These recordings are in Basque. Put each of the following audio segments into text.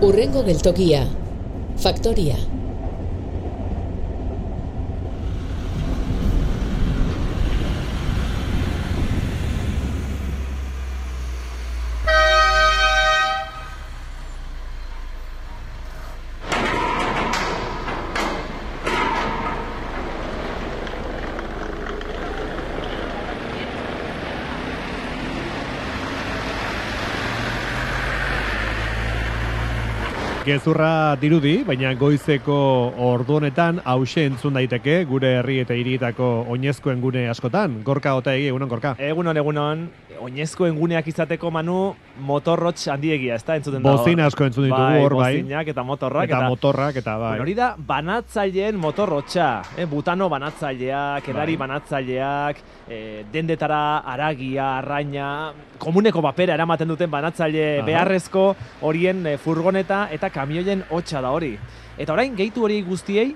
Hurrengo geltokia, Faktoria. Gezurra dirudi, baina goizeko ordu honetan hause entzun daiteke gure herri eta hirietako oinezkoen gune askotan. Gorka Otaegi, egunon, Gorka. Egunon, oinezkoen guneak izateko, Manu, motorrotx handiegia, ez da, entzuten da. Bozina asko entzun ditugu hor, bai. Bozinak eta motorrak. Eta motorrak, eta bai. Hori da, banatzaileen motorrotxa. Butano banatzaileak, edari banatzaileak, dendetara, aragia, arraina, komuneko papera eramaten duten banatzaile beharrezko horien furgoneta eta kamioien hotxa da hori. Eta orain, gehitu hori guztiei,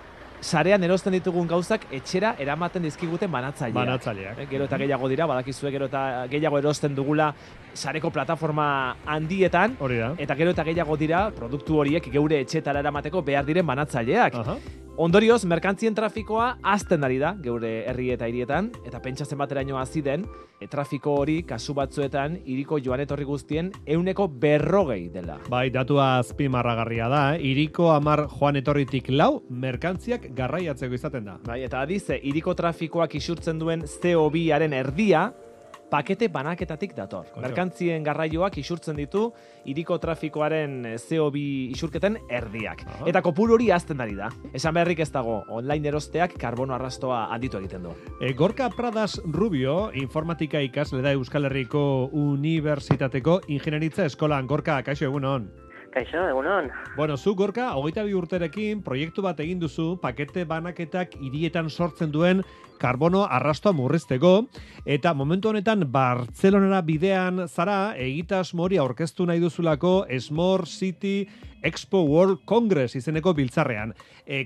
sarean erosten ditugun gauzak etxera eramaten dizkiguten banatzaileak. Gero eta gehiago dira, badakizue gero eta gehiago erosten dugula sareko plataforma handietan, eta gero eta gehiago dira produktu horiek geure etxetara eramateko behar diren banatzaileak. Ondorioz, merkantzien trafikoa hazten ari da geure herri eta hirietan, eta pentsatzen bateraino hasi den, trafiko hori kasu batzuetan hiriko joan etorri guztien 140 dela. Bai, datua azpimarragarria da, hiriko 10 joan etorritik 4 merkantziak garraiatzeko izaten da. Bai, eta adize, hiriko trafikoak isurtzen duen CO2-aren erdia, pakete banaketatik dator. Merkantzien garraioak isurtzen ditu hiriko trafikoaren CO2 isurketen erdiak. Eta kopuru hori hazten ari da. Esan beharrik ez dago, online erosteak karbono arrastoa handitu egiten du. Gorka Pradas Rubio, informatika ikasle da Euskal Herriko Unibertsitateko Ingenieritza Eskolan. Gorka, kaixo, egunon. Kaixo, egunon. Bueno, zu, Gorka, 22 urterekin proiektu bat egin duzu, pakete banaketak hirietan sortzen duen karbono arrastoa murrizteko, eta momentu honetan Bartzelonara bidean zara, egitasmo hori aurkeztu nahi duzulako Smart City Expo World Congress izeneko biltzarrean.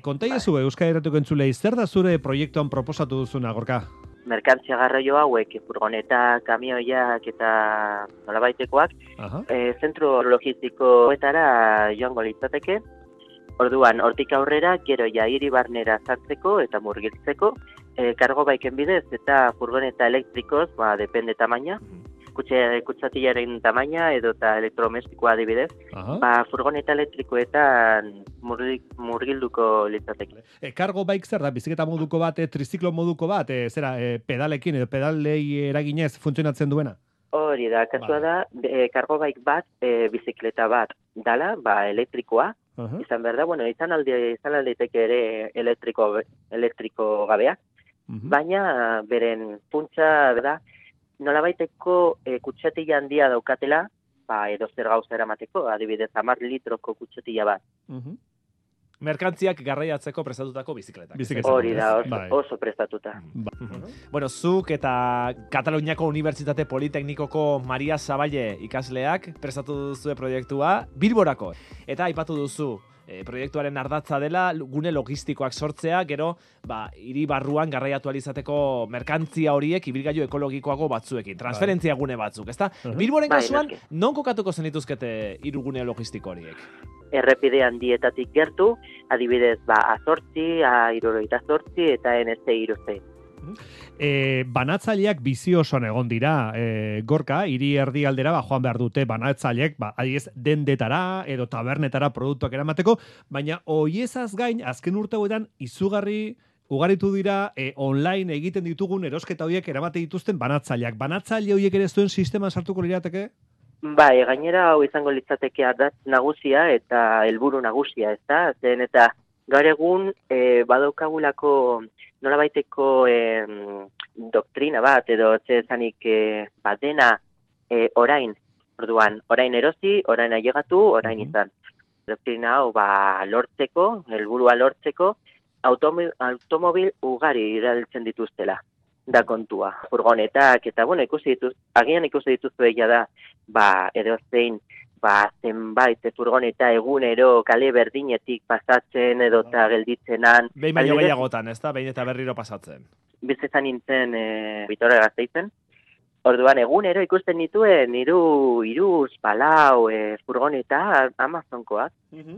Kontaiazu Euskal Herrituko entzulei, zer da zure proiektuan proposatu duzuna, Gorka? Merkantzia garraio hauek, furgonetak, kamioiak eta nolabaitekoak, zentro logistikoetara joango litzateke. Orduan, hortik aurrera, gero ja hiri barnera sartzeko eta murgiltzeko, kargo baiken bidez eta furgoneta elektrikoz, depende tamaina, kutsatilaren tamaina edo eta elektrodomestikoa adibidez, furgoneta elektrikoetan murgilduko litzateke. Kargo baik zer da, biziketa moduko bat, triziklo moduko bat, pedalekin edo pedalei eraginez funtzionatzen duena? Hori da, kasua da, kargo baik bat, bizikleta bat dala, elektrikoa, izan behar da, izan aldeiteke ere elektriko gabeak, baina beren funtsa da, nolabaiteko kutsatila handia daukatela, edo zer gauza eramateko, adibidez 10 litroko kutsatila bat. Merkantziak garraiatzeko prestatutako bizikletak. Hori da, oso prestatuta. Bueno, zuk eta Kataluniako Unibertsitate Politeknikoko Maria Zaballe ikasleak prestatu duzue proiektua Bilborako. Eta aipatu duzu, proiektuaren ardatza dela gune logistikoak sortzea, gero hiri barruan garraiatu izateko merkantzia horiek ibilgailu ekologikoago batzuekin, transferentzia gune batzuk, ezta? Bilboren kasuan, non kokatuko zenituzkete hiru gune logistiko horiek? Errepide handietatik gertu, adibidez, A8, A78 eta NC3. Banatzaileak bizi osoan egon dira, Gorka, hiri erdialdera joan behar dute banatzaileak, adiez dendetara edo tabernetara produktuak eramateko, baina hoiezaz gain, azken urte hauetan izugarri ugaritu dira online egiten ditugun erosketa horiek eramate dituzten banatzaileak. Banatzaile horiek ere zuen sistema sartuko lirateke? Bai, gainera hau izango litzateke ardatz nagusia eta helburu nagusia, ezta? Zen eta gaur egun badaukagulako nolabaiteko doktrina bat edo zezanik dena orain. Orduan, orain erosi, orain ailegatu, orain izan. Doktrina hau lortzeko, helburua lortzeko, automobil ugari erabiltzen dituztela. Da kontua. Furgonetak eta agian ikusi dituzu egia da, edo zein zenbait furgoneta egunero kale berdinetik pasatzen edo eta gelditzenan. Behin baino gehiagotan, ez da? Behin eta berriro pasatzen. Bizizan nintzen Vitoria Gasteizen, Orduan, egunero ikusten dituen hiru palau furgoneta Amazonkoak,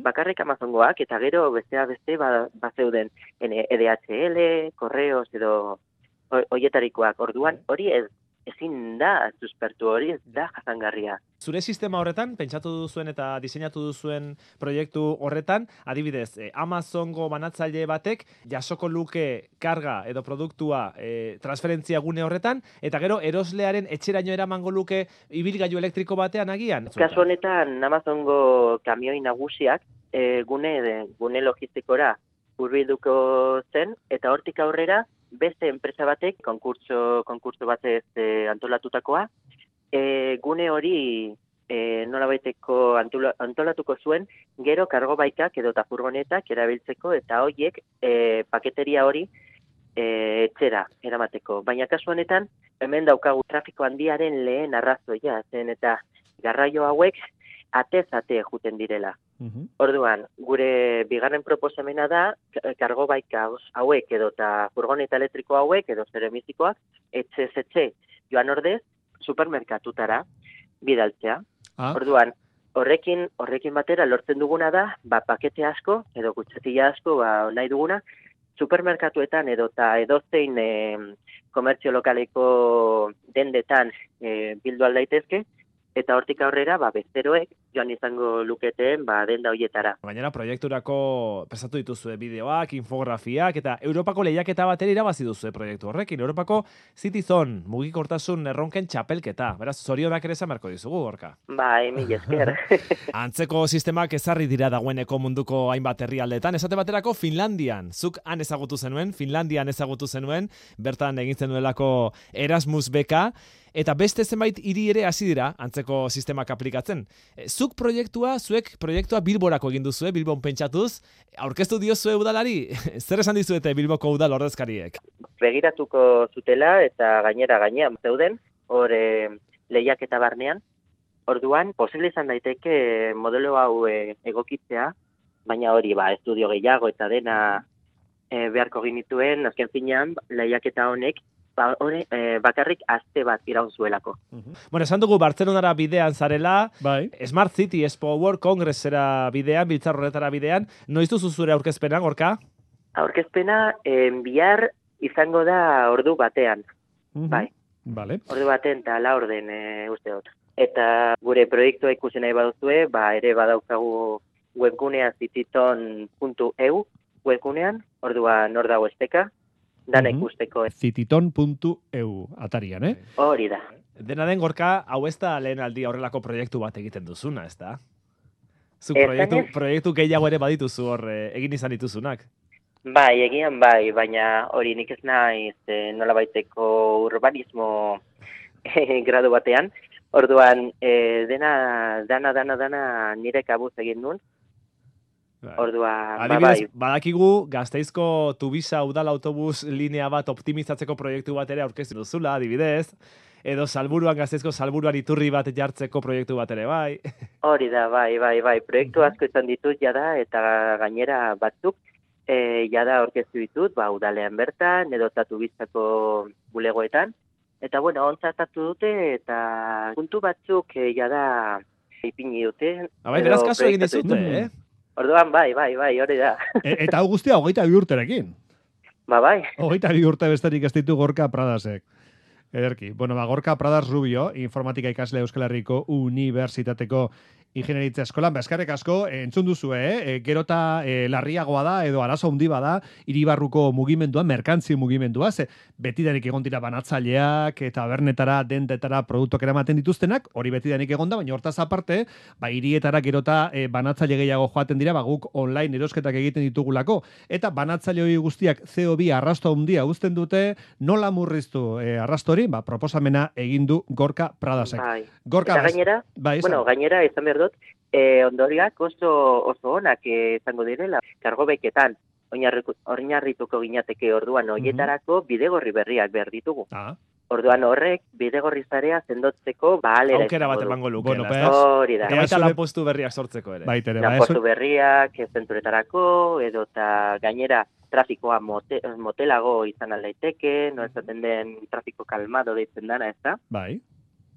bakarrik Amazongoak, eta gero besteak beste bazeuden EDHL, Correos edo hoietarikoak. Orduan, hori ezin da suspertu, hori ez da jasangarria. Zure sistema horretan, pentsatu duzuen eta diseinatu duzuen proiektu horretan, adibidez, Amazongo banatzaile batek jasoko luke karga edo produktua transferentzia gune horretan, eta gero eroslearen etxeraino eramango luke ibilgailu elektriko batean agian. Kasu honetan, Amazongo kamioi nagusiak gune logistikora hurbilduko zen, eta hortik aurrera beste enpresa batek, konkurtso batez antolatutakoa, gune hori nolabaiteko antolatuko zuen, gero kargo baikak edo furgonetak erabiltzeko, eta horiek paketeria hori etxera eramateko. Baina kasu honetan, hemen daukagu trafiko handiaren lehen arrazoia zen, eta garraio hauek atez-ate juten direla. Orduan, gure bigarren proposamena da, kargo baika hauek edo eta furgoneta elektriko hauek edo zeremizikoak, etxe joan ordez, supermerkatutara bidaltzea. Orduan, horrekin batera lortzen duguna da, pakete asko edo kutxatila asko nahi duguna, supermerkatuetan edo eta edozein komertzio lokaleko dendetan bildu aldaitezke, eta hortik aurrera, bezeroek joan izango luketen denda hoietara. Gainera, proiekturako prestatu dituzue bideoak, infografiak, eta Europako lehiaketa batera irabazi duzue proiektu horrekin. Europako Citizen mugikortasun erronken txapelketa. Beraz, zorionak ere esan beharko dizugu, Gorka. Mila esker. Antzeko sistemak ezarri dira dagoeneko munduko hainbat herrialdetan. Esate baterako Finlandian. Zuk han ezagutu zenuen, Finlandian ezagutu zenuen, bertan egin zenuelako Erasmus beka, eta beste zenbait hiri ere hasi dira antzeko sistemak aplikatzen. Zuek proiektua Bilborako egin duzue, Bilbon pentsatuz, aurkeztu diozue udalari? Zer esan dizuete Bilboko udal ordezkariek? Begiratuko zutela eta gainean zeuden, hor lehiaketa barnean. Orduan, posible izan daiteke modelo hau egokitzea, baina hori estudio gehiago eta dena beharko ginituen, azken finean, lehiaketa honek bakarrik aste bat iraun zuelako. Bueno, esan dugu Bartzelonara bidean zarela, Smart City Expo World Congressera bidean, biltzar horretara bidean, noiz duzu zure aurkezpena, Gorka? Aurkezpena bihar izango da ordu batean. Bai. Ordu baten eta laurden uste dut. Eta gure proiektua ikusi nahi baduzue, ere badaukagu webgunea cititon.eu webgunean, orduan hor dago esteka, dana ikusteko. Cititon.eu atarian, Hori da. Dena den, Gorka, hau ez da lehen aldi horrelako proiektu bat egiten duzuna, ez da? Zuk proiektu gehiago ere badituzu hor egin izan dituzunak. Bai, egian bai, baina hori nik ez naiz nolabaiteko urbanismo gradu batean. Orduan, dana nire kabuz egin duen. Orduan, adibidez, badakigu Gasteizko Tubisa udal autobus linea bat optimizatzeko proiektu bat ere aurkeztu duzula, adibidez, edo Gasteizko Salburuan iturri bat jartzeko proiektu bat ere, bai. Hori da, bai. Proiektu asko izan ditut jada, eta gainera batzuk jada aurkeztu ditut, udalean bertan, edo Tubisako bulegoetan. Eta, ontzatatu dute, eta puntu batzuk jada ipini dute. Beraz kasu egin dizute, Orduan, bai, hori da. Eta hau guztia 22 urterekin. Bai. 22 urte besterik ez ditu Gorka Pradasek. Ederki. Gorka Pradas Rubio, informatika ikasle Euskal Herriko Unibertsitateko ingenieritza eskolan, eskerrik asko, entzun duzue, gerota larriagoa da, edo arazo handi bada, hiribarruko mugimendua, merkantzi mugimendua, betidanik egon dira banatzaileak, eta bernetara, dendetara, produktuak eramaten dituztenak, hori betidanik egon da, baina hortaz aparte, hirietara gerota banatzaile gehiago joaten dira, guk online erosketak egiten ditugulako, eta banatzaile hori guztiak CO2 arrasto handia uzten dute, nola murriztu arrasto hori, proposamena egin du Gorka Pradasek. Gorka, eta gainera, gainera, izan behar dut, ondoriak oso onak izango direla, kargo beketan, oinarrituko ginateke orduan, hoietarako bidegorri berriak behar ditugu. Orduan horrek bidegorri zarea sendotzeko ahalera aukera bat izango du. emango luke. Bueno, Hori da. Eta baita lanpostu berriak sortzeko ere. Baitere, Lanpostu berriak, zenturetarako, edota gainera trafikoa motelago izan aldaiteke, no esaten den trafiko kalmado deitzen dana, ez da? Bai.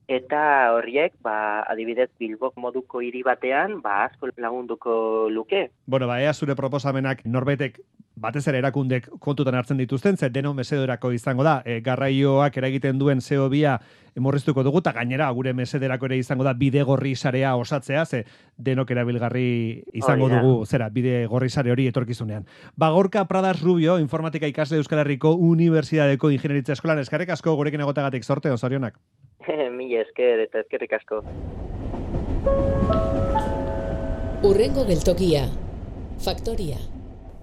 Eta horiek, adibidez Bilbok moduko hiri batean, asko lagunduko luke. Bueno, ea zure proposamenak norbaitek batez ere erakundek kontutan hartzen dituzten, ze deno mesedorako izango da, garraioak eragiten duen CO2 murriztuko dugu, eta gainera gure mesederako ere izango da bidegorri sarea osatzea, ze denok erabilgarri izango dugu, bidegorri sare hori etorkizunean. Gorka Pradas Rubio, informatika ikasle Euskal Herriko Unibertsitateko Ingenieritza Eskolan, eskerrik asko gurekin egotagatik, zorte, zorionak. Mila esker eta eskerrik asko. Hurrengo geltokia. Faktoria.